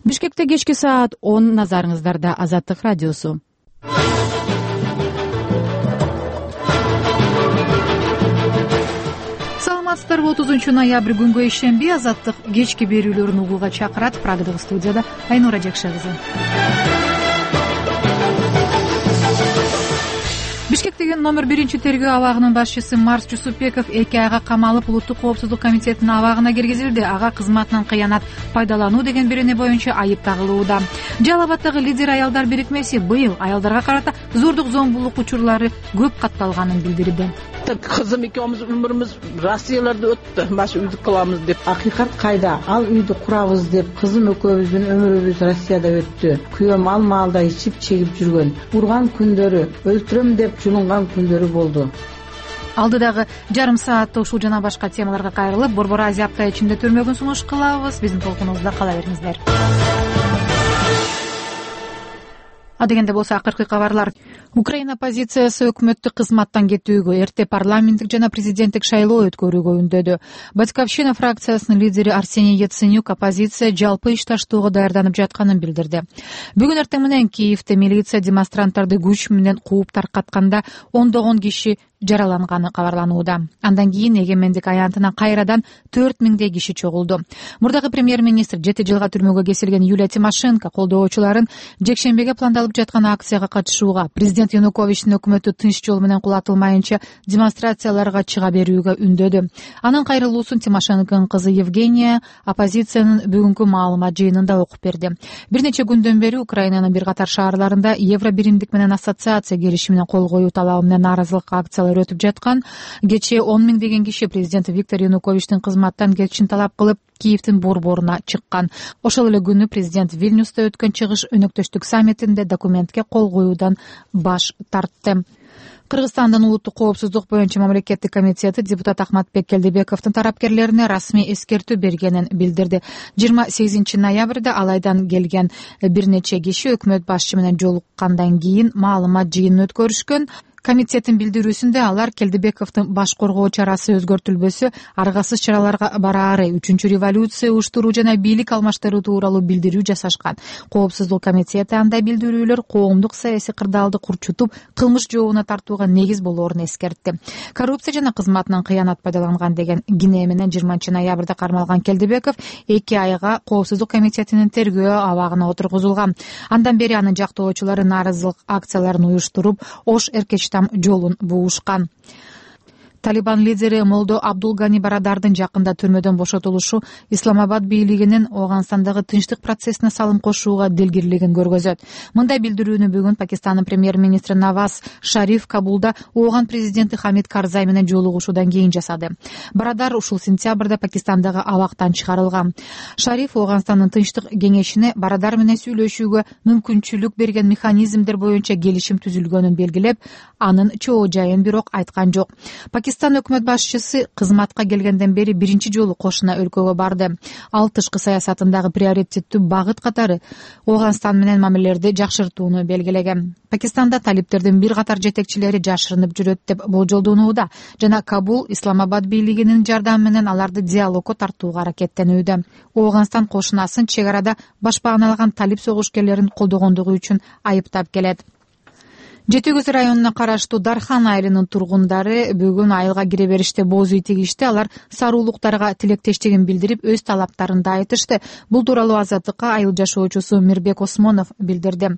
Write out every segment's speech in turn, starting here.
Бишкекте кечки саат 10 назарыңыздарда Азаттык радиосу. Саламатсыздарбы? 30 ноябрь күнгө ишемби Азаттык кечки берүүлөрүн угууга чакырат. Прагадагы студияда Айнура Жакшы кызы. Бишкектеги номер 1-тергөө абагынын башчысы Марс Жусупбеков 2 айга камалып, улуттук коопсуздук комитетинин абагына киргизилди. Ага кызматынан кыянат пайдалануу деген берене боюнча айып тагылууда. Жалал Абаддагы лидер аялдар бирикмеси быйыл аялдарга карата зордук зомбулук учурлары көп катталганын билдирди. Кызым экөөбүз өмүрүбүз Россияларда өттү, баш үйдү кылабыз деп. Акыйкат кайда? Ал үйдү курабыз деп кызым экөөбүздүн өмүрүбүз Россияда өттү. Күйөөм ал маалда ичип чегип жүргөн. Урган күндөрү, өлтүрөм деп жулунган күндөрү болду. Алдыдагы жарым саатта ушул жана башка темаларга кайрылып, Борбор Азия апта ичинде төрмөгүн сунуш кылабыз. Биздин толкунубузда кала бериңиздер. Адегенде болсо акыркы кабарлар. Украина оппозициясы өкмөттүк кызматтан кетүүгө, эрте парламенттик жана президенттик шайлоо өткөрүүгө үндөдү. Батьковщина фракциясынын лидери Арсений Яценюк оппозиция жалпы иш таштоого даярданып жатканын билдирди. Бүгүн эртең менен Киевде милиция демонстранттарды күч менен кууп таркатканда ондогон киши жараланганы кабарланууда. Андан кийин эгемендик аянтына кайрадан 4000 киши чогулду. Мурдагы премьер-министр 7 жылга түрмөгө кесилген Юлия Тимошенко колдоочуларын жекшембиге пландалып жаткан акцияга катышууга, президент Януковичтин өкмөтү тынч жол менен кулатылмайынча демонстрацияларга чыга берүүгө үндөдү. Анын кайрылуусун Тимошенконун кызы Евгения оппозициянын бүгүнкү маалымат жыйынында окуп берди. Бир нече күндөн бери Украинанын бир катар шаарларында евро биримдик менен ассоциация келишимине кол коюу талабы менен нааразылык акциялары өтүп жаткан. Кечээ 10 000 деген киши президент Виктор Януковичтин кызматтан кетишин талап кылып Киевдин борборуна чыккан. Ошол эле күнү президент Вильнюста өткөн чыгыш өнөктөштүк саммитинде документке кол коюудан баш тартты. Кыргызстандын улуттук коопсуздук боюнча мамлекеттик комитети депутат Ахматбек Келдебековдун тарапкерлерине расмий эскертүү бергенин билдирди. 28 ноябрда алайдан келген бир нече киши өкмөт башчы менен жолуккандан кийин маалымат жыйынын өткөрүшкөн. Комитеттин билдирүүсүндө алар Келдебековдун баш коргоо чарасы өзгөртүлбөсө, аргасыз чараларга бараары, 3-революция уюштуруу жана бийлик алмаштыруу тууралуу билдирүү жасашкан. Коопсуздук комитети андай билдирүүлөр коомдук саясий кырдаалды курчутуп, кылмыш жообуна тартууга негиз болоорун эскертти. Коррупция жана кызматынан кыянат пайдаланган деген кине менен 20 ноябрда кармалган Келдебеков 2 айга коопсуздук комитетинин тергөө абагына отургузулган. Андан бери анын жактоочулары нааразылык акцияларын уюштуруп, Ош Эркечтам жолун буушкан. Талибан лидери Молдо Абдулгани Барадардын жакында түрмөдөн бошотулушу Исламабад бийлигинин Ооганстандагы тынчтык процессине салым кошууга дилгирлигин көргөзөт. Мындай билдирүүнү бүгүн Пакистандын премьер-министри Наваз Шариф Кабулда Ооган президенти Хамид Карзай менен жолугушуудан кийин жасады. Барадар ушул сентябрда Пакистандагы абактан чыгарылган. Шариф Ооганстандын тынчтык кеңешине Барадар менен сүйлөшүүгө мүмкүнчүлүк берген механизмдер боюнча келишим түзүлгөнүн белгилеп, анын чоо жайын бирок айткан жок. Пакистан өкмөт башчысы кызматка келгенден бери биринчи жолу кошуна өлкөгө барды. Ал тышкы саясатындагы приоритеттүү багыт катары Ооганстан менен мамилелерди жакшыртууну белгилеген. Пакистанда талиптердин бир катар жетекчилери жашырынып жүрөт деп болжолдонууда жана Кабул Исламабад бийлигинин жардамы менен аларды диалогко тартууга аракеттенүүдө. Ооганстан кошунасын чек арада башпааналаган талип согушкерлерин колдогондугу үчүн айыптап келет. Жети Көз районуна караштуу Дархан айылынын тургундары бүгүн айылга кире бериште боз үй тигишти. Алар саруулуктарга тилектештигин билдирип, өз талаптарын да айтышты. Бул тууралуу Азаттыкка айыл жашоочусу Мирбек Осмонов билдирди.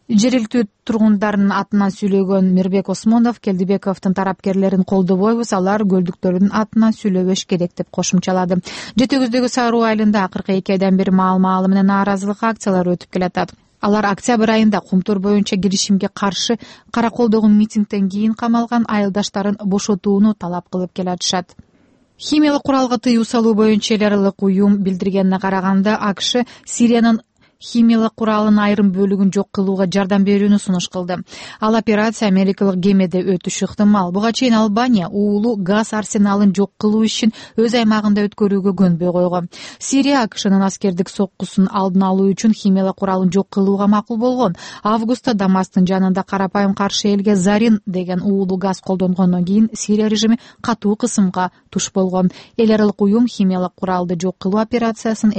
Жергиликтүү тургундардын атынан сүйлөгөн Мирбек Осмонов Келдебековдун тарапкерлерин колдобойбуз, алар көлдүктөрдүн атынан сүйлөбөш керек деп кошумчалады. Жети Көздөгү Саруу айылында акыркы 2 айдан бери маал-маалы менен нааразылык акциялары өтүп келатат. Алар октябрь айында Кумтур боюнча киришимге каршы Караколдогу митингден кийин камалган айылдаштарын бошотууну талап кылып келатышат. Химиялык куралга тыюу салуу боюнча эл аралык уюм билдиргенине караганда, АКШ Сириянын химиялык куралынын айрым бөлүгүн жок кылууга жардам берүүнү сунуш кылды. Ал операция америкалык кемеде өтүшү ыктымал. Буга чейин Албания уулуу газ арсеналын жок кылуу ишин өз аймагында өткөрүүгө көнбөй койгон. Сирия АКШнын аскердик соккусун алдын алуу үчүн химиялык куралын жок кылууга макул болгон. Августта Дамасктын жанында карапайым каршы элге Зарин деген уулуу газ колдонгондон кийин Сирия режими катуу кысымга туш болгон. Эл аралык уюм химиялык куралды жок кылуу операциясын